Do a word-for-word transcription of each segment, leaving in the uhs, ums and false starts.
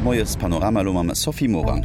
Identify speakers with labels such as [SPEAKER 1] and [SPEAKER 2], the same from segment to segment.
[SPEAKER 1] Moies Panorama elo mam Sophie Morang.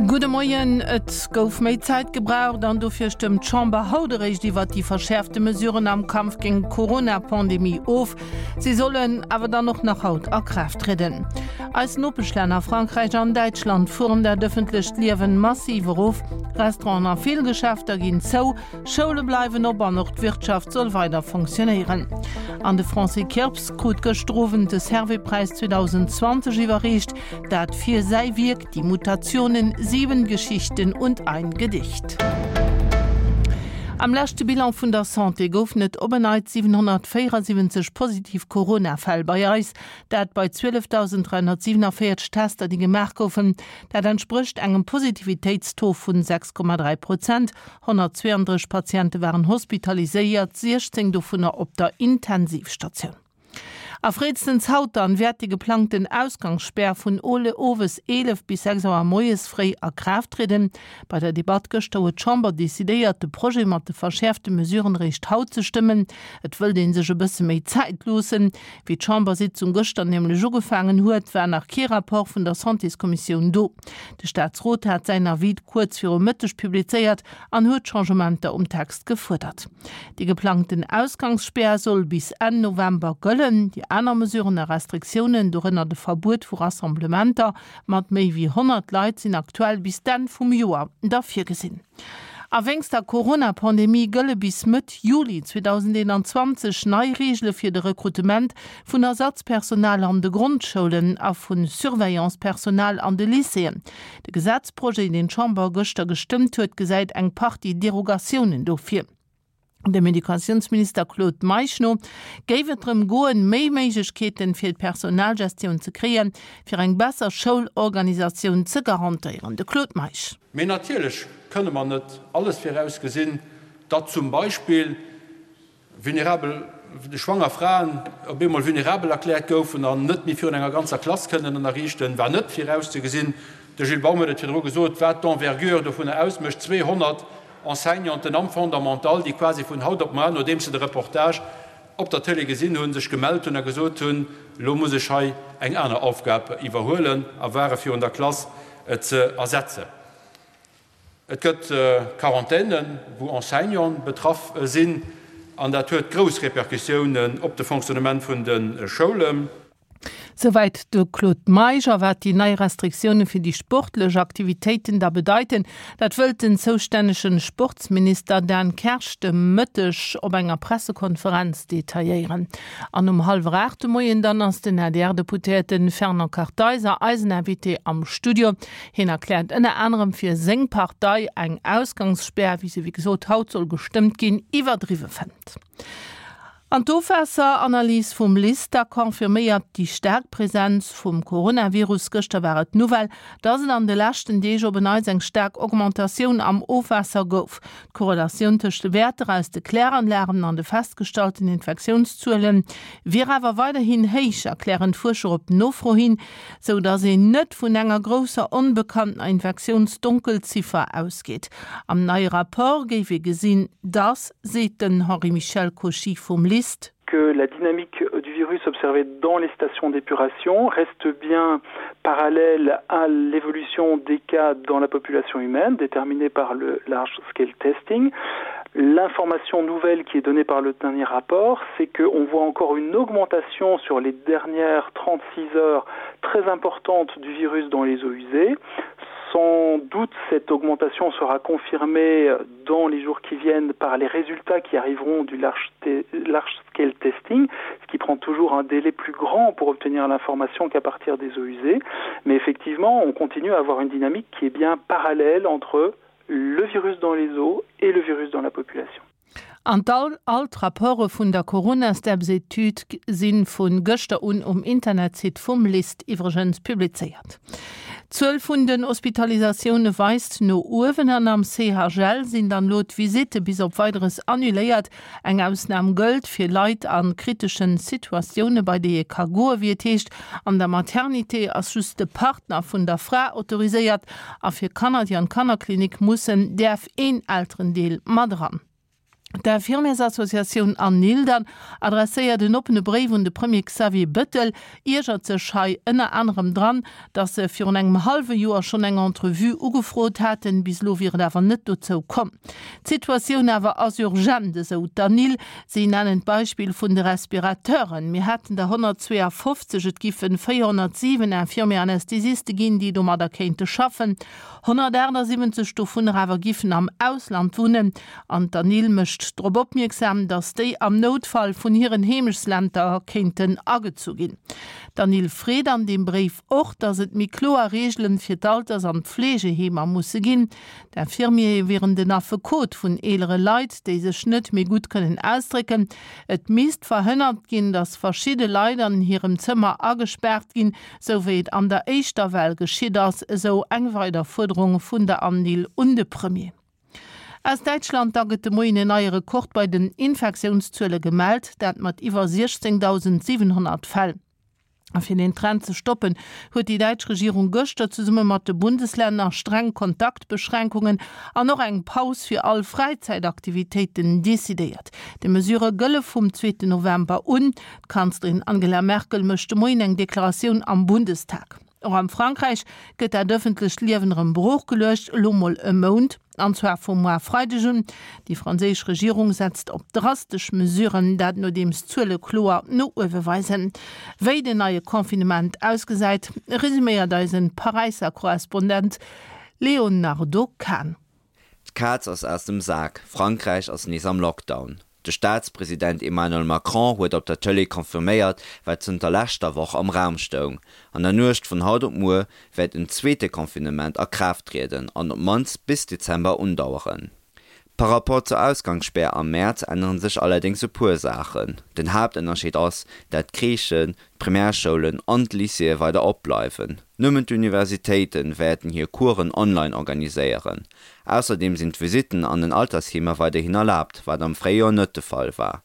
[SPEAKER 2] Gudde Moien, Et gouf méi Zäit gebraucht an dofir stëmmt d'Chamber haut eréischt iwwert déi verschäerfte Mesuren am Kampf géint d'Corona-Pandemie of. Si sollen awer dann och nach haut a Kraaft trieden. Eis Nopeschlänner Frankräich an Däitschland fueren dat ëffentlecht Liewen massiv erof. Restauranten a vill Geschäfter ginn zou, Schoule bleiwen op an och d'Wirtschaft soll weider fonctionnéieren. An de Francis Kirps krut gëschter Owend de Servais-Präis zweedausendzwanzeg iwwerreecht, dat fir säi Wierk Die Mutationen, sieben Geschichten und ein Gedicht. Am leschte Bilan vun der Santé goufen et op en Neits siwenhonnertvéierasiwwenzeg positiv Corona-Fäll bei eis, dat bei zwielefdausend dräihonnertsiewenavéierzeg Tester, déi gemaach goufen. Dat entsprécht engem Positivitéitstaux vun sechs Komma dräi Prozent. honnertzweeandrësseg Patiente waren hospitaliséiert, siechzéng dovunner op der Intensivstatioun. A fréistens haut dann wäert déi geplangten Ausgangsspär vun owes eelef bis sechs Auer moies fréi a Kraaft trieden. Bei der Debatt gëschter huet d'Chamber decidéiert, de Projet mat de verschäerfte Mesuren eréischt haut ze stëmmen. Et wëllt ee sech e bësse méi Zäit loossen. Wéi d'Chambersitzung gëschter nämlech ugefaangen huet, war nach kee Rapport vun der Santéskommissioun do. De Staatsrot hat säin Avis kuerz viru Mëtteg publizéiert an huet Changementer um Text gefuerdert. Déi geplangten Ausgangsspär soll bis Enn November gëllen. Déi aner Mesuren a Restriktiounen, dorënner de Verbuet vu Rassemblementer mat méi wéi honnert Leit, sinn aktuell bis d'Enn vum Joer da virgesinn. A wéinst der Corona-Pandemie gëlle bis Mëtt Juli zweedausendeenanzwanzeg nei Reegele fir de Rekrutement vun Ersatzpersonal an de Grondschoulen a vu Surveillancepersonal an de Lycéeën. De Gesetzprojet, deen d'Chamber gëschter gestëmmt huet, gesäit eng Partie Derogatiounen do vir. Dem Educatiounsminister Claude Meisch no géif et drëm goen, méi Méiglechkeeten fir d'Personalgestioun ze kréien, fir eng besser Schoulorganisatioun ze garantéieren. De Claude Meisch.
[SPEAKER 3] Mee natierlech kënne mer net alles virausgesinn, datt zum Beispill vulnerabel schwanger Fraen op eemol vulnerabel erkläert goufen an net méi virun enger ganzer Klass kënnen ënnerriichten, war net virauszegesinn. De Gilles Baum huet et virdru gesot, wat d'Envergure dovunner ausmécht, zweehonnert Enseignanten am Fondamental, déi quasi vun haut op muer, nodeems se de Reportage op der Tëlee gesinn hunn, sech gemellt hunn a gesot hunn, elo muss ech hei eng aner Aufgab iwwerhuelen, a ware virun der Klass ze ersetzen. Et gëtt Quarantänen, wou Enseignanten betraff sinn, an dat huet grouss Repercussiounen op de Fonctionnement vun de Schoulen.
[SPEAKER 2] Souwäit de Claude Meisch. A wat déi nei Restriktioune fir déi sportlech Aktivitéiten da bedeiten, dat wëllt den zoustännege Sportsminister Dan Kersch de Mëtteg op enger Pressekonferenz detailléieren. An um hallwer aacht de Moien dann ass den A D R-Deputéierte Fernand Kartheiser eisen Invité am Studio. Hien erkläert ënner anerem fir seng Partei eng Ausgangsspär, wéi se wéi gesot haut soll gestëmmt ginn, iwwerdriwwe fënnt. An d'Ofwaasseranalys vum LIST confirméiert déi staark Presenz vum Coronavirus. Gëschter war et d'Nouvelle, dass et an de leschten Deeg op en Neits eng staark Augmentatioun am Ofwaasser gouf. D'Korrelatioun tëscht de Wäerter aus de Kläranlagen an de festgestallten Infektiounszuele wier awer weiderhin héich, erklären d'Fuerscher op Nofro hin, sou dass een net vun enger grousser onbekanntener Infektiounsdonkelziffer ausgeet. Am neie Rapport géif ee gesinn, dass, seet den Henri-Michel Cauchy vum LIST,
[SPEAKER 4] que la dynamique du virus observée dans les stations d'épuration reste bien parallèle à l'évolution des cas dans la population humaine déterminée par le large scale testing. L'information nouvelle qui est donnée par le dernier rapport, c'est qu'on voit encore une augmentation sur les dernières trente-six heures très importante du virus dans les eaux usées. Sans doute cette augmentation sera confirmée dans les jours qui viennent par les résultats qui arriveront du large, large scale testing, ce qui prend toujours un délai plus grand pour obtenir l'information qu'à partir des eaux usées. Mais effectivement, on continue à avoir une dynamique qui est bien parallèle entre le virus dans les eaux et le virus dans la population.
[SPEAKER 2] An all d'Rapporte vun der Corona-Steps-Etüd si vu gëschter un um Internetsite vum LIST iwwregens publizéiert. D'Zuel vun den Hospitalisatioune weist no uewen an am C H L sinn dann elo d'Visitte bis op Weideres annuléiert. Eng Ausnam gëllt fir Leit a kritesche Situatioune bei déi ee ka goen, wéi et heescht. An der Maternité ass just de Partner vun der Fra autoriséiert a fir Kanner, déi an d'Kannerklinik mussen, däerf een Elterendeel mat eran. D'Infirmiersassociatioun ANIL dann adresséiert en oppene Bréif un de Premier Xavier Bettel, iergert sech hei ënner anerem dran, datt se virun engem hallwe Joer schonn eng Entrevue ugefrot haten, bis elo wier et awer net dozou komm. D'Situatioun awer ass urgent, esou d'ANIL. Si nennen d'Beispill vun de Respirateuren, Mir hätten der honnertzweeafofzeg, et giffen véierhonnertsiwen Infirmier-Anästhesiste ginn, déi domadder kéinte schaffen, honnertaachtsiwwenzeg dovunner awer giffen am Ausland wunnen. An d'ANIL mécht drop opmierksam, datt déi am Noutfall vun hiren Heemechtslänter kéinten agezu ginn. D'ANIL freet an deem Bréif och, datt et méi kloer Reegelen fir d'Alters an d'Fleegeheemer musse ginn. D'Infirmiere wieren den Affekot vun eelere Leit, déi sech net méi gutt kënnen ausdrécken. Et misst verhënnert ginn, datt verschidde Leit an hirem Zëmmer agespaart ginn, sou wéi et an der éischter Well geschitt ass, esou eng weider Fuerderung vun der ANIL un de Premier. Aus Däitschland da gëtt de Moien en neie Rekord bei den Infektiounszuele gemellt, dat mat iwwer siechzéngdausendsiwenhonnert Fäll. A fir deen Trend ze stoppen, huet déi däitsch Regierung gëschter zesumme mat de Bundeslänner streng Kontaktbeschränkungen an och eng Paus fir all Fräizäitaktivitéiten decidéiert. Déi Mesure gëlle vum zweeten November un. D'Kanzlerin Angela Merkel mécht de Moien eng Deklaratioun am Bundestag. Och am Frankräich gëtt dat ëffentlecht Liewen erëm brooch geluecht, elo mol e Mount, an zwar vum moar Freideg un. Déi franséisch Regierung setzt op drastesch Mesuren, dat nodeems d'Zuele kloer no uewe weisen. Wéi den neie Confinement ausgesäit, resuméiert eisen Paräisser Korrespondent Léonardo Kahn.
[SPEAKER 1] D'Kaz ass aus dem Sak, Frankräich ass nees am Lockdown. De Staatspresident Emmanuel Macron huet op der Tëlee confirméiert, wat zënter leschter Woch am Raum stoung, An der Nuecht vun haut op muer wäert en zweete Confinement a Kraaft trieden an op d'mannst bis Dezember undaueren. Par Rapport zur Ausgangsspär am Mäerz ännere sech allerdéngs e puer Saachen. Den Haaptënnerscheed ass, dat d'Crèchen, d'Primärschoulen an d'Lycéeë weider opbleiwen. Nëmmen d'Universitéite wäerten hir Coursen online organiséieren. Ausserdeem sinn d'Visitten an den Altersheemer weiderhin erlaabt, wat am Fréijoer net de Fall war.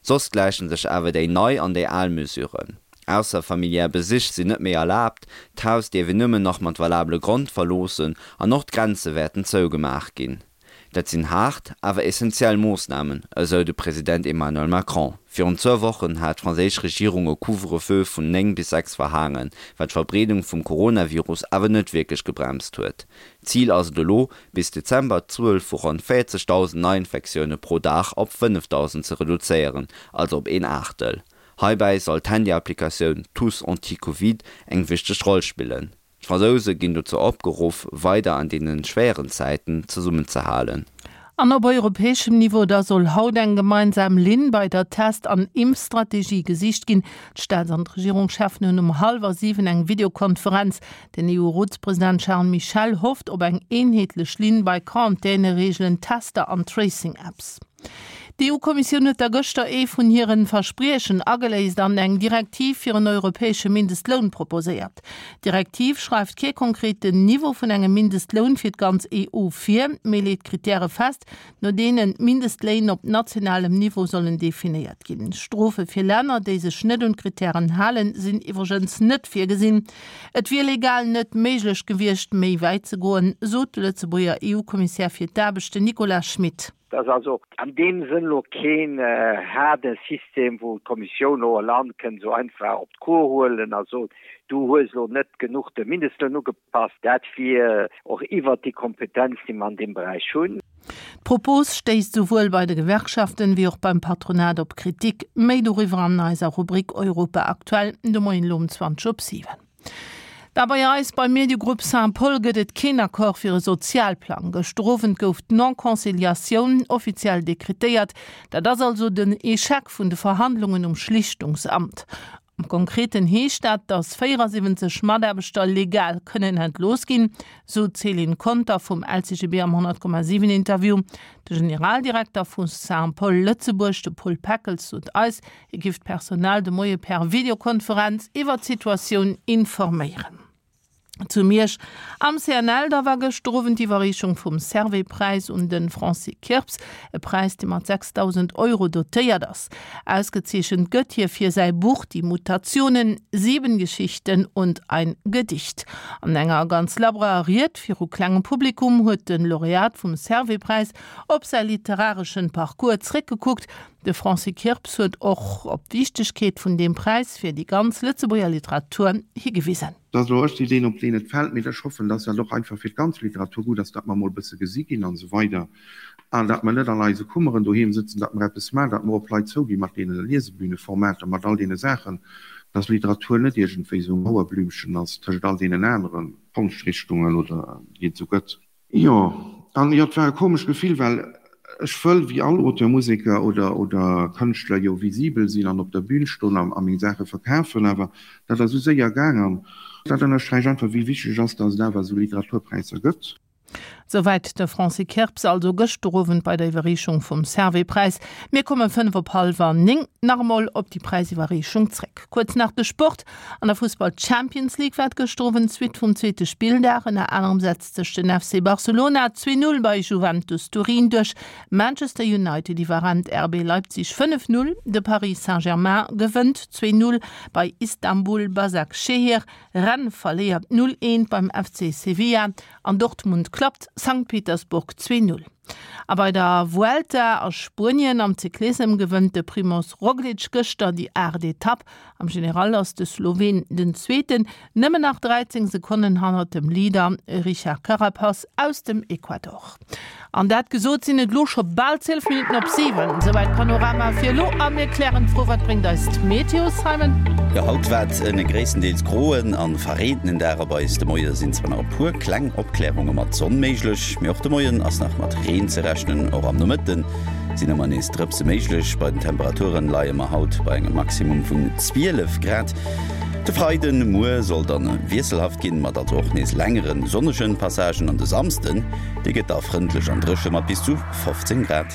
[SPEAKER 1] Soss gläiche sech awer déi nei an déi al Mesuren. Ausser familiär Besich sinn net méi erlaabt, d'Haus dierf een nëmmen nach mat valabele Grond verloossen an och d'Grenze wäerten zougemaach ginn. Dat sinn haart, awer essentiell Moossnamen, esou de President Emmanuel Macron. Virun zwou Wochen hat d'franséisch Regierung e Couvre-feu vun néng bis sechs verhaangen, wat d'Verbreedung vum Coronavirus awer net wierklech gebremst huet. Zil ass et elo, bis Dezember d'Zuel vu ronn véierzegdausend Neiinfektioune pro Dag op fënnefdausend ze reduzéieren, also op een Aachtel. Heibäi soll d'Handyapplikatioun Tous anti-Covid eng wichteg Roll spillen. D'Fransouse ginn dozou opgeruff, weider an deene schwéieren Zäiten zesummenzehalen.
[SPEAKER 2] An op europäeschem Niveau da soll haut eng gemeinsam Linn bei der Test an Impfstrategie gesicht ginn. D'Staats an d'Regierungscheffen hunn um hallwer siwen eng Videokonferenz. Den EU-Rotspresident Charles Michel hofft op eng eenheetlech Linn bei Quarantänereegelen, Tester an Tracing-Apps. D'EU-Kommissioun huet da gëschter ee vun hiren Verspriechen ageléist an eng Direktiv fir en europäesche Mindestloun proposéiert. D'Direktiv schreift kee konkreten Niveau vun engem Mindestloun fir d'ganz E U vir, mee leet Krittäre fest, no deenen d'Mindestléin op nationalem Niveau sollen definéiert ginn. Strofe fir Länner, déi sech net un d'Krittären halen, sinn iwwregens net virgesinn. Et wier legal net méiglech gewiescht, méi wäit ze goen, sot de Lëtzebuerger E U-Kommissär fir d'Aarbecht, den Nicolas Schmit.
[SPEAKER 5] Et ass also an deem Sënn elo keen haarde System, wou d'Kommissioun elo e Land kënnt esou einfach op d'Cour huelen a soen, du hues elo net genuch de Mindestloun ugepasst. Dat wier och iwwert déi Kompetenz, déi mer an deem Beräich hunn.
[SPEAKER 2] D'Propos stéisst souwuel bei de Gewerkschaften wéi och beim Patronat op Kritik. Méi doriwwer an eiser Rubrik Europa aktuell de Moien elo um zwanzeg op siwen. Da bei eis beim Mediegrupp Saint-Paul gëtt et keen Accord fir e Sozialplang. Gëschter Owend gouf d'Non-Conciliatioun offiziell dekretéiert. Dat ass also den Echec vun de Verhandlungen um Schlichtungsamt. Am Konkreten heescht dat, datt véierasiwwenzeg Mataarbechter legal kënnen entlooss ginn, sou d'Céline Conter vum L C G B am honnert Komma siwen Interview. De Generaldirekter vu Saint-Paul Lëtzebuerg, de Paul Peckels, sot eis, hie giff d'Personal de Moie per Videokonferenz iwwer d'Situatioun informéieren. Zu Miersch am C N L da war gëschter Owend d'Iwwerreechung vum Servais-Präis un de Francis Kirps, e Präis dee mat sechsdausend Euro dotéiert ass. Ausgezeechent gëtt hie fir säi Buch Die Mutationen, sieben Geschichten und ein Gedicht. An enger ganz labberer Ried viru klengem Publikum huet de Laureat vum Servais-Präis op säi literareschen Parcours zréckgekuckt. De Francis Kirps huet och op d'Wichtegkeet vun deem Präis fir déi ganz Lëtzebuerger Literatur higewisen.
[SPEAKER 6] Dat ass elo ech déi deen op deen et fält, mee ech hoffen, dass dat och einfach fir d'ganz Literatur gutt ass, datt mer emol e bësse gesi ginn an esou weider an datt mer net an eise Kummeren doheem sëtzen, datt mer eppes maachen, datt mer op Leit zouginn mat deene Liesebühneformater, mat all deene Saachen, dass Literatur net iergendwéi esou e Mauerblümchen ass tëschent all deenen anere Konschtrichtungen oder déi et esou gëtt. Jo, an jo, et war e komescht Gefill, well ech wëll wéi all Auteur, Museker oder oder Kënschtler jo visibel sinn an op der Bühn stoen a meng Saache verkafen, awer dat ass esou séier gaang an dat ënnersträicht einfach, wéi wichteg et ass, datt et awer esou Literaturpräisser gëtt.
[SPEAKER 2] Souwäit de Francis Kirps also gëschter Owend bei der Iwwerreechung vum Servais-Präis. Mir komme fënnef op hallwer néng nach emol op déi Präisiwwerreechung zréck. Kuerz nach de Sport, An der Fussball-Champions League war et gëschter Owend d'Suite vum zweete Spilldag. Ënner anerem setzt sech den F C Barcelona zwee Null bei Juventus Turin duerch, Manchester United iwwerrennt R B Leipzig fënnef Null, de Paris Saint-Germain gewënnt zwee Null bei Istanbul Basaksehir, Rennes verléiert null eent beim F C Sevilla an Dortmund klappt Sankt Petersburg zwee Null. A bei der Vuelta a Spuenien am Cyclissem gewënnt de Primoz Roglic gëschter déi aacht Etapp. Am General ass de Sloween den Zweeten, nëmmen nach dräizéng Sekonnen hannert dem Leader Richard Carapaz aus dem Ecuador. An dat gesot sinn et elo scho bal zwielef Minutten op siwen. Souwäit Panorama fir elo a mir klären d'Fro, Wat bréngt eis d'Meteo, Simon?
[SPEAKER 7] Jo, haut waart en gréisstendeels groen an verreentenen Dag op eis. De Moie sinn zwar nach e puer kleng Opklärunge mat Sonn méiglech, mee och de Moien ass nach mat Reen ze rechnen. Och am Nomëtte sinn ëmmer nees Drëpse méiglech. Bei den Temperaturen leie mer haut bei engem Maximum vun zwielef Grad. De Freiden, muer, soll dann wiesselhaft ginn, mat also och nees längeren sonnegen Passagen an de Samsden, dee gëtt da frëndlech an dréche mat bis zu fofzéng Grad.